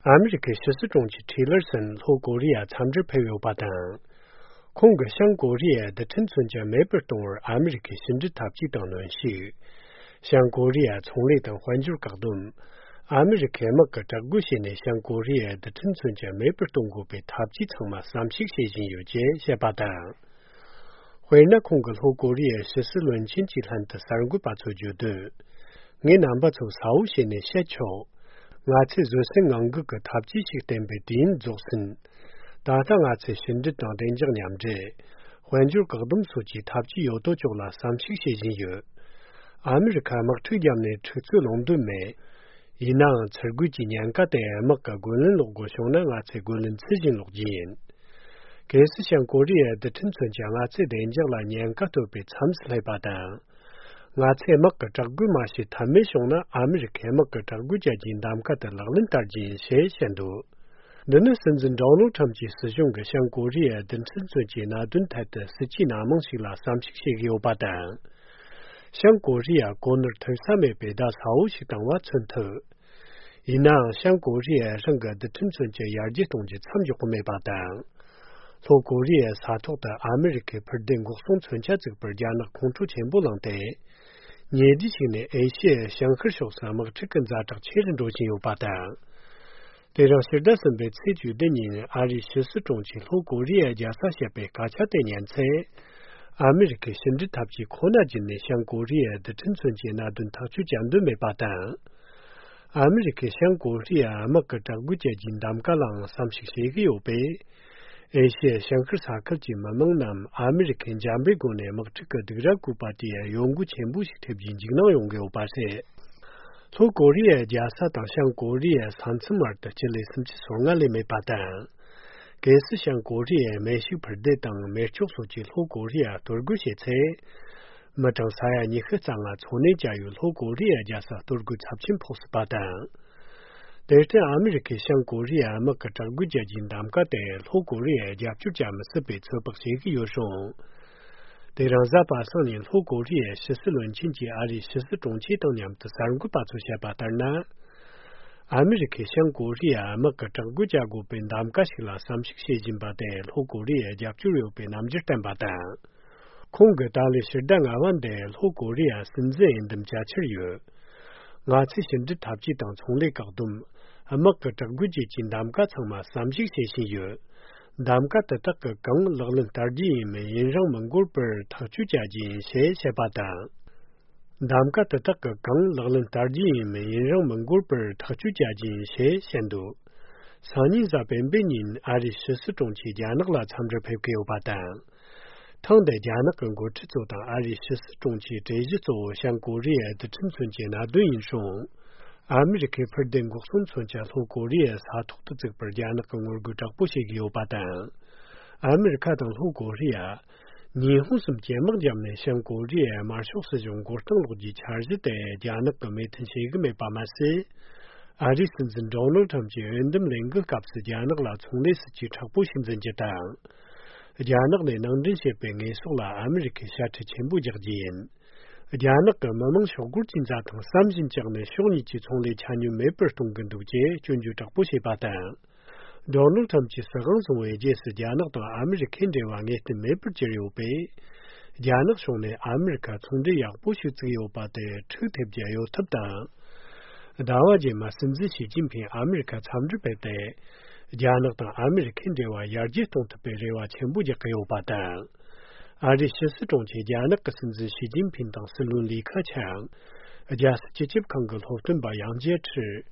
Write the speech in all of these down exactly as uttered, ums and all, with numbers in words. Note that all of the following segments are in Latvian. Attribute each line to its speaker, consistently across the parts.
Speaker 1: 아메리카 시스종치 틸러슨 호고리아 참지 배우바당 콩가 샹고리아的陈村家美本东儿아메리카 신지 탑지等论系샹고리아 총리等环球角度아메리카 막가 자구시네 샹고리아的陈村家美本东国被탑지层嘛삼십 세진有节下巴당回那空个호고리아 시스论亲戚汉的三个把出觉得我南巴从少些呢下桥我在做生安个个塔基式等被定做生，大家我在新的当定讲两者，环球各种数据塔基有多久了三十些人有，阿美看莫推荐呢出自伦敦美，伊那持股几年个的莫个个人路过上呢我在个人资金路径，这是像国里的陈村讲我在定讲了年个都被参事来把单。我在莫个这个嘛是他们说呢，阿美看莫个这个家境他们个的老人大件些限度，那那甚至道路他们去使用个像国里等陈村接那顿台的实际那么是啦三十些个八单，像国里啊国内头上面被大超是当我村头，伊那像国里啊上个的陈村接亚级东西参与后面八单。从国里沙托的阿美克普登国松村家这个国家呢，空出全部能得。年底前呢，一些香河小山么这跟咱这确认中心有八单。对让现在准备采取的人，阿里十四中期从国里加上些被加强的年菜，阿美克甚至他比可能今年像国里的陈村节那顿他去讲都没八单。阿美克像国里啊，么个这个接近他们个人三十些个有被。一些香克萨克吉嘛蒙南阿美看加美国呢么这个这个古巴的用户全部是特别经常用给我巴些从国里加上当像国里三次嘛的这类甚至说俺里没巴单这是像国里美术牌的当美术所及从国里多个些菜么正啥呀你和咱啊从那家有从国里加上多个差评破十巴单但是阿美克像国里啊，么个这个家境他们个的，后国里家就咱们是被车不是个有种，但让咱把上年后国里十四轮经济阿里十四中期当年的三个把出下把单呢，阿美克像国里啊，么个这个家国被他们个是了三十些斤把的，后国里家就有被他们就单把单，空个大里是单阿万的后国里啊，甚至人他们家吃有，我在现在他去当从来搞动。阿么个这个节近他们个层嘛三十些些有，他们个的这个更老人大的没人让蒙古本他去家境些些巴单，他们个的这个更老人大的没人让蒙古本他去家境些限度，上年在本本年阿里十四中期间那个参着配给我巴单，唐代家那跟过制作当阿里十四中期这一做像国里的陈村节那对应上。阿美克普登国松村家从国里沙托的这个国家那个我个这不是有八单，阿美看到从国里啊，日本什么节目讲呢？像国里马上是中国登陆的前日的家那个没腾些个没办法事，阿里甚至中路他们就人们两个搞是家那个啦，从那时就差不多真正当，家那个能这些被艺术啦，阿美克下去全部接近。家那个慢慢小股经济同三星讲的小年纪从来参与美本东跟都节全球这不些八单道路他们去十行从为这是家那到阿美看这玩意的美本节有被家那说呢阿美卡从这样不许自由把的车特别有特单大话节嘛甚至习近平阿美卡参与被的家那到阿美看这玩意儿这东特别这话全部就给有八单阿里十四中期间那个甚至习近平当时论李克强，加是直接看个后盾把杨洁篪，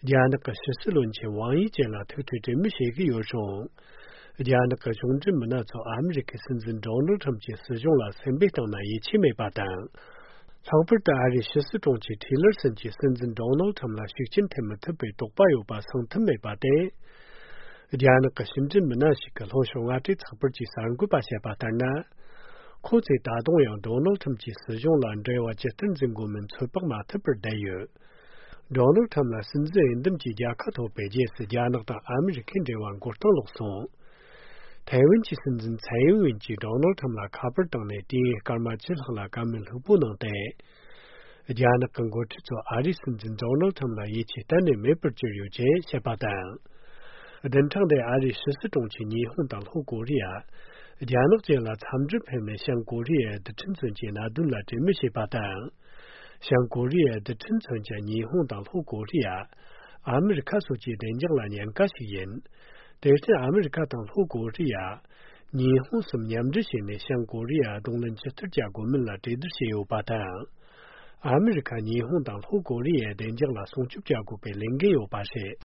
Speaker 1: 加那个十四轮前王一坚了推推这么些个有种，加那个中政们那做阿美克甚至中路他们就使用了三百当那一千没把单，长不的阿里十四中期提了甚至甚至中路他们那习近平们特别多把有把上他没把的。家那个深圳门那是个老乡啊，这差不多三个把下把单呢。可在大东洋道路他们去使用了这话就真正我们出北马特别带有。道路他们甚至人他们几家开头北京是家那到阿美看这万国登陆上。台湾其甚至蔡英文及道路他们那卡本等的地干嘛去了干们都不能带。Jana Kango Tito Arison and Donald Tamla Yichi Tani Maple Jirio J. Shepatan. Then Tang de Ari Sisidongchi Ni Hondal Ho Korea. Jana Jela Tamdrip Heme Shang Korea, the Tinsun Adula Jimishi Patan. Shang Korea, the Tinsun Ni Hondal Ho Korea. America Suji Denjalan Yang Kashiyin. There's the America Ho Korea. Ni Honsum Yamdishin Shang Korea, Donglan Chester Jagomilla Tidishio Patan. America Ni Hondal Ho Korea, Denjala Sonchup Jago Pelengeo Pashe.